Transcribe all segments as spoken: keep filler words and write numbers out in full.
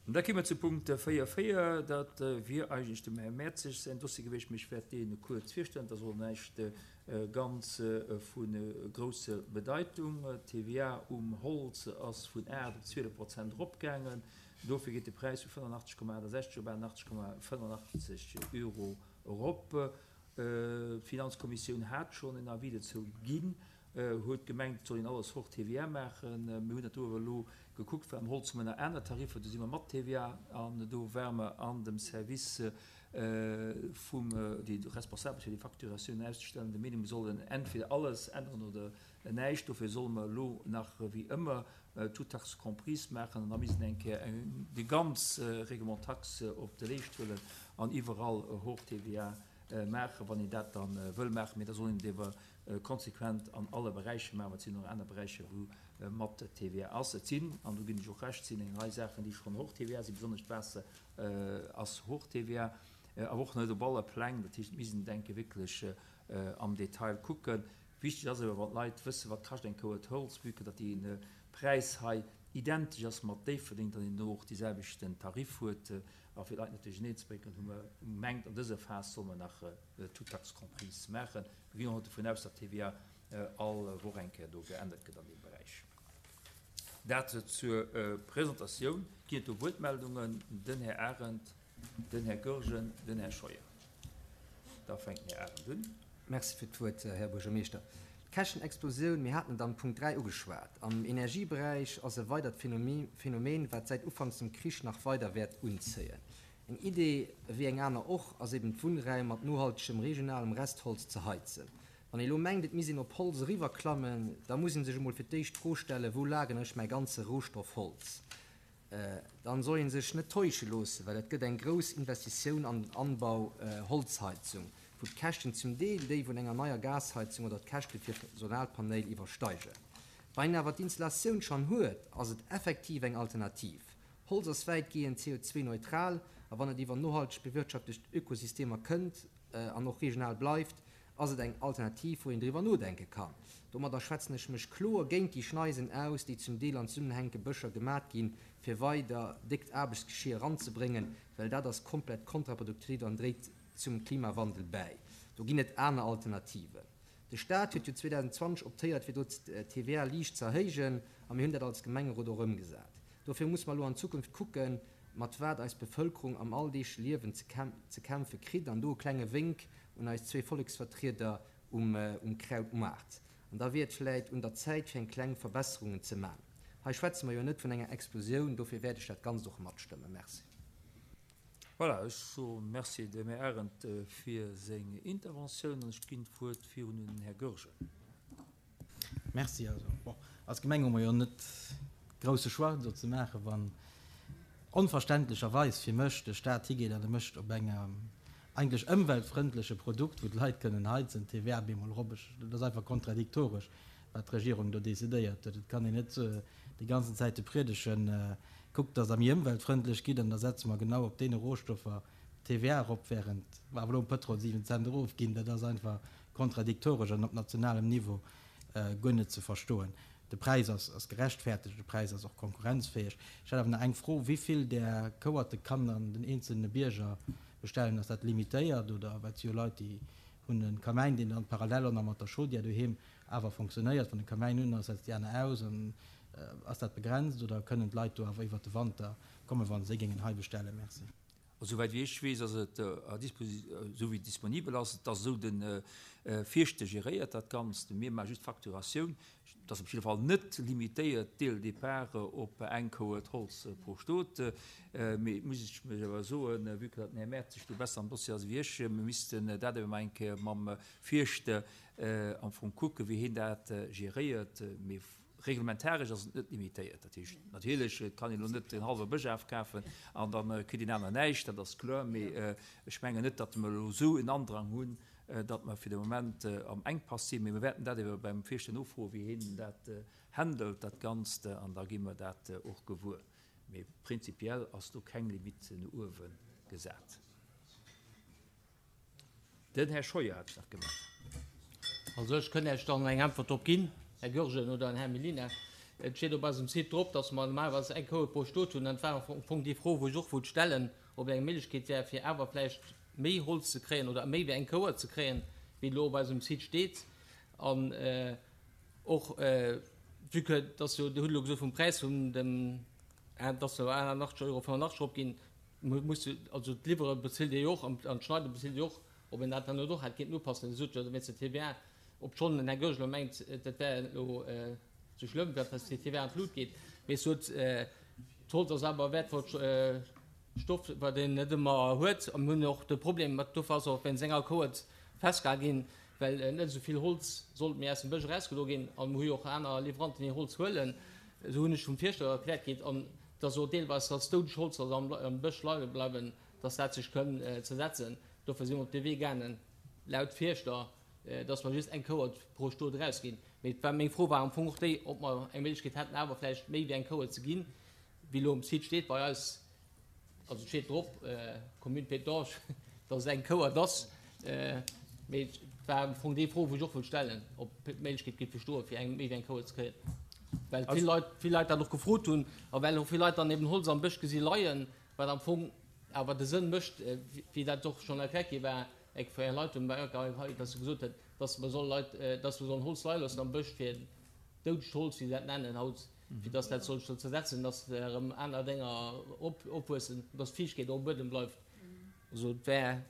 Da kéime mer zu Punkt véier véier. Dat wier eigentlech dem Här Mertzig säin Dossier gewiescht, mee ech wäert deen kuerz virstellen. Dat ass och näischt ganz vu grousser Bedeitung. D'T V A um Holz ass vun aacht op zwielef Prozent eropgaangen. Dofir geet de Präis vu fënnenachtzeg Komma achtesechzeg op achtendachtzeg Komma fënnenachtzeg Euro erop. D'Finanzkommissioun hat schonn en Avis dozou ginn, huet gemengt, et soll een alles hors T V A maachen. Mir hunn dat do awer elo gekuckt, well am Holz hu mer nach aner Tariffer, do si mer mat T V A an do ware mer an dem Service vum, déi responsabel fir déi Facturatioun auszestellen, der Meenung, mir sollen entweder alles änneren oder näischt. Dofir solle mer elo nach wéi ëmmer toutes taxes comprises maachen an da missten eng Kéier déi ganz Règlement taxe op de Leescht huelen an iwwerall hors T V A maachen, wann een dat da wëll maachen. Mee da soll een et ewer konsequent an alle Beräicher maachen, well et sinn och aner Beräicher, wou mat T V A ass. Et sinn, an do ginn ech och Recht, sinn eng Rei Saachen, déi schonn hors T V A sinn, besonnesch d'Waasser ass hors T V A, awer och net op alle Pläng. Dat heescht, et misst een, denke, wierklech am Detail kucken. Wichteg ass awer, wann d'Leit wëssen, wat kascht eng Kouert Holz, vue que datt dee Präis hei identesch ass mat Déifferdeng, datt een do och dee selwechten Tarif huet. A fir d'Leit net duercherneen ze bréngen, hu mer gemengt, an dëser Phas solle mer nach toutes taxes comprises maachen. Mir ginn och net dovun aus, datt d'T V A all Woch eng Kéier do geännert gëtt an deem Beräich. Dat zur Presentatioun. Ginn et do Wuertmeldungen? Den Här Arendt, den Här Goergen, den Här Scheuer. Da fänkt den Här Arendt un. Merci fir d'Wuert, Här Buergermeeschter. D'Käschtenexplosioun, mir haten et am Punkt dräi ugeschwat, am Energieberäich ass e weidert Phänomen, wat säit ufanks dem Krich nach weider wäert unzéien. Eng Idee wéi eng aner och ass eben d'Wunnräim mat nohaltegem regionalem Restholz ze heizen. Wann ee lo mengt, et misst een op Holz eriwwerklammen, da muss ee sech emol fir d'éischt d'Fro stellen, wou lageren ech mäi ganze Rohstoff Holz? Dann soll ee sech net täusche loossen, well et gëtt eng grouss Investitioun an den Anbau Holzheizung, wou d'Käschten zum Deel déi vun enger neier Gasheizung oder d'Käschte fir Solarpaneele iwwersteigen. Wann een awer d'Installatioun schonn huet, ass et effektiv eng Alternativ. Holz ass wäitgehend C O zwei neutral a wann et iwwer nohalteg bewirtschaftecht Ökosystemer kënnt an och regional bleift, ass et eng Alternativ, wou een driwwer nodenke kann. Domadder schwätzen ech mech kloer géint déi Schneisen aus, déi zum Deel an zesummenhängende Bëscher gemat ginn, fir weider déckt Aarbechtsgeschier eranzebréngen, well dat ass komplett kontraproduktiv an dréit zum Klimawandel bäi. Do ginn et aner Alternativen. De Staat huet jo zweedausendzwanzeg optéiert, fir do d'T V A liicht ze erhéijen, a mir hunn dat als Gemengerot och ëmgesat. Dofir muss mer elo an Zukunft kucken, mat wat eis Bevëlkerung am alldeegleche Liewen ze kämpfe kritt, an do e klenge Wénk un eis zwee Volleksvertrieder um um Krautmaart. An da wier et vläit un der Zäit, fir eng kleng Verbesserungen ze man. Hei schwätze mer jo net vun enger Explosioun, dofir wäert ech dat Ganzt och matstëmmen. Merci. Voilà, ech soe Merci dem Här Arendt fir seng Interventioun an ech ginn d'Wuert virun un den Här Goergen. Merci. Also, bon, als Gemeng hu mer jo net grousse Choix do ze maachen, wann onverständlecherweis fir mech de Staat higeet an e mécht op engem eigentlech ëmweltfrëndleche Produkt, wou d'Leit kënnen heizen, d'T V A bemol erop. Dat ass einfach kontradiktoresch, wat d'Regierung do decidéiert huet. Et kann een net déi ganzen Zäite priedegen, kuckt, datt Der méi ëmweltfrëndlech gitt, an da setze mer genau op deene Rohstoffer d'T V A erop, während mer awer elo um Pëtrol siwen Cent erofginn. Dat ass einfach kontradiktoresch an op nationalem Niveau guer net ze verstoen. De Präis ass ass gerechtfertegt, de Präis ass och konkurrenzfäeg. Ech hätt awer nach eng Fro, Wéi vill där Kouerte kann dann den eenzelne Bierger bestellen? Ass dat limitéiert oder, well et si jo Leit, déi hunn e Kamäin, deen dann parallel och nach mat der Chaudière doheem awer fonctionnéiert. Wann de Kamäin un ass, setzt déi aner aus. An ass dat begrenzt oder kënnen d'Leit do awer iwwert de Wanter kommen, wa se géingen hei bestellen? Merci. Souwäit wéi ech weess, ass et à disposi-, esou wéi et disponibel ass. Et ass esou, de Fierschter geréiert dat Ganzt, mir maache just d'Facturatioun. Et ass op jidde Fall net limitéiert dès le départ op eng Kouert Holz pro Stot. Mee et muss ech mech awer soen, vue que datt den Här Mertzig do besser am Dossier ass wéi ech, mir missten dat awer mol eng Kéier mam Fierschter am Fong kucken, wéi hien dat geréiert. Mee reglementaresch ass et net limitéiert. Dat heescht, natierlech, et kann een elo net en hallwe Bësch afkafen an da kritt een aner näischt, dat ass kloer. Mee ech mengen net, datt mer elo esou en Andrang hunn, datt mer fir de Moment am Enkpass sinn. Mee mir wäerten dat ebe beim Fierschter nofroen, wéi hien dat handelt, dat Ganzt, an da gi mer dat och gewuer. Mee prinzipiell ass do keng Limite no uewe gesat. Den Här Scheuer hat sech nach gemellt. Also ech kënnt Iech dann eng Äntwert drop ginn, Här Goergen oder Här Mellina. Et steet op eisem Site drop, dass mer normalerweis eng Kouert pro Stot hunn. Dat war am Fong déi Fro, wou ech och wollt stellen, ob eng Méiglechkeet wär, fir awer vläicht méi Holz ze kréien oder méi wéi eng Kouert ze kréien, wéi elo op eisem Site steet. An och, vue que dass jo, Dir hutt elo gesot vum Präis vun dem, dass jo achtundachtzeg Euro fënnefundachtzeg eropginn, muss jo, also d'Liwwere bezilt Dir jo och an d'Schneide bezilt Dir och, ob een dat dann net och hätt kéinten upassen. Dir sot jo wéinst der T V A, obschonn den Här Goergen elo mengt, dat wär elo sou schlëmm, dat dass déi T V A an d'Lut geet, mee sot, d'Holz ass awer e wäertvollt Stoff, wat een net ëmmer huet. A mir hunn och de Problem, mat dofir ass och wéinst enger Kouert festgehal ginn, well net esou vill Holz sollt méi aus dem Bësch erausgedo ginn. A mir hu jo och aner Liwweranten, déi Holz huelen, esou hunn ech vum Fierschter erkläert kritt. An dass och deelweis dass doudeg Holz soll am am Bësch leie bleiwen, dass dat sech kënn zersetzen. Dofir si mer op dee Wee gaangen, laut Fierschter, dass mer just eng Kouert pro Stot erausginn. Mee et war, meng Fro war am Fong och déi, ob mer eng Méiglechkeet hätten, awer vläicht méi wéi eng Kouert ze ginn, wéi elo um Site steet bei eis. Also et steet drop, Commune Pétange, dass et eng Kouert ass. Mee et war am Fong déi Fro, wou ech och wollt stellen, ob d'Méiglechkeet géif bestoen, fir eng méi wéi eng Kouert ze kréien. Well vill Leit, vill Leit dat och gefrot hunn a well och vill Leit dann eben Holz am Bësch gesi leien, wat am Fong awer de Sënn mécht, wéi dat och schonn erkläert gi war, eng vun Är Leit hunn bei hei, dass se gesot huet, dass mer solle Leit, dass mer sollen Holz leie loossen am Bësch fir doudegt Holz, wéi se dat nennen haut, fir dass dat soll sech zersetzen, dass erëm aner Dénger op, opwuessen, dass d'Fiichtkeet och um Buedem bleift. Also et wär,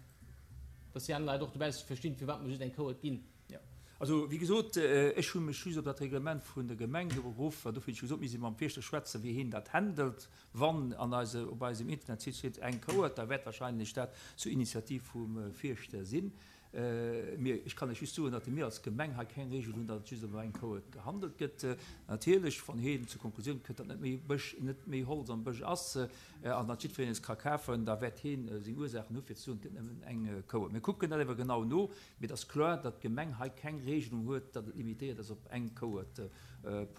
dass déi aner Leit och dobäi verstinn, firwat mer just eng Kouert ginn. Jo. Also, wéi gesot, ech hu mech just op dat Reglement vun der Gemeng do beruff, an dofir hunn ech gesot, mir si mam Fierschter schwätzen, wéi hien dat handelt. Wann an eise, op eisem Internetsite steet eng Kouert, da wäert wahrscheinlech dat zur Initiativ vum Fierschter sinn. Mir, ech kann lech just soen, datt mir als Gemeng hei keng Regel hunn, datt et just ëm eng Kouert gehandelt gëtt. Natierlech, wann hien zur Konklusioun kënnt, datt net méi Bësch, net méi Holz am Bësch ass an datt jiddwereen es ka kafen, da wäert hien seng Ursaachen hu fir ze soen, et gëtt nëmmen eng Kouert. Mir kucken dat ewer genau no, mee et ass kloer, datt d'Gemeng hei keng Regelung huet, datt et limitéiert ass op eng Kouert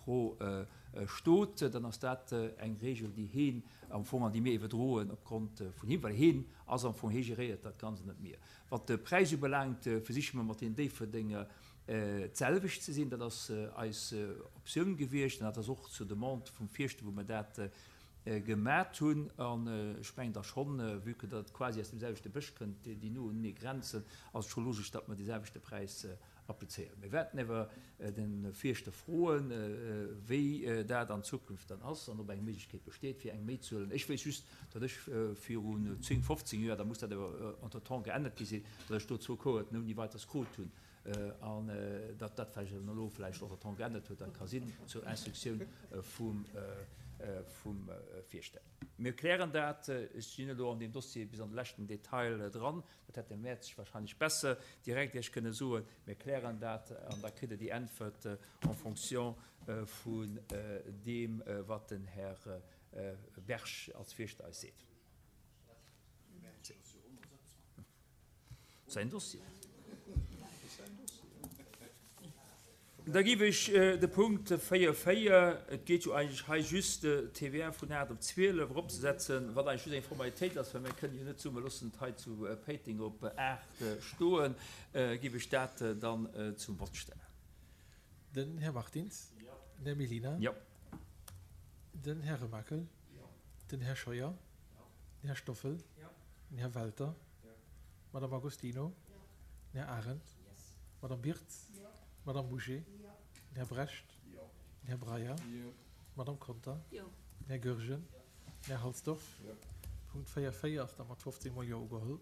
pro Stot. Dann ass dat eng Regel, déi hien am Fong an déi mir iwwerdroen opgrond vun him, well hien ass am Fong, hie geréiert dat Ganzt, net mir. Wat de Präis ubelaangt, versiche mer mat den Déifferdenger d'selwecht ze sinn. Dat ass eis Optioun gewiescht an dat ass och zur Demande vum Fierschter, wou mer dat gemat hunn. An ech mengen da schonn, vue que dat quasi aus dem selwechte Bësch kënnt, déi no unenee grenzen, ass et scho logesch, datt mer dee selwechte Präis applizéieren. Mir wäerten awer de Fierschter froen, wéi dat an Zukunft dann ass an ob eng Méiglechkeet besteet, fir eng méi ze huelen. Ech weess just, datt ech virun zéng, fofzéng Joer, da muss dat awer entretemps geännert gi sinn, datt ech do zwou Cohorten ouni Weiteres krut hunn an datt dat vläicht elo vläicht entretemps geännert huet, dat ka sinn, zur Instruktioun vum Fierschter. Mir klären dat. Ech sinn elo an deem Dossier bis an de leschten Detail dran. Dat hätt de Merz wahrscheinlech besser direkt Iech kënne soen. Mir klären dat an da kritt Der déi Äntwert en fonction vun deem, wat den Här Berg als Fierschter eis seet. Säin Dossier. Da giff ech de Punkt véier véier, et geet jo eigentlech hei just d'T V A vun aacht op zwielef eropzesetzen, wat eigentlech just eng Formalitéit ass, well mir kënnen jo net soen, mir loossen et hei zu Péiteng op aacht stoen, giff ech dat dann zum Vott stellen. Den Här Martins. Den Här Mellina. Jo. Den Här Remakel. Den Här Scheuer. Den Här Stoffel. Den Här Welter. D'Madame Agostino. Den Här Arendt. D'Madame Birtz. D'Madame Bouché. Den Här Brecht. Den Här Breyer. D'Madame Conter. Den Här Goergen. Den Här Halsdorf. Punkt véier véier ass da mat fofzéng mol Jo ugeholl.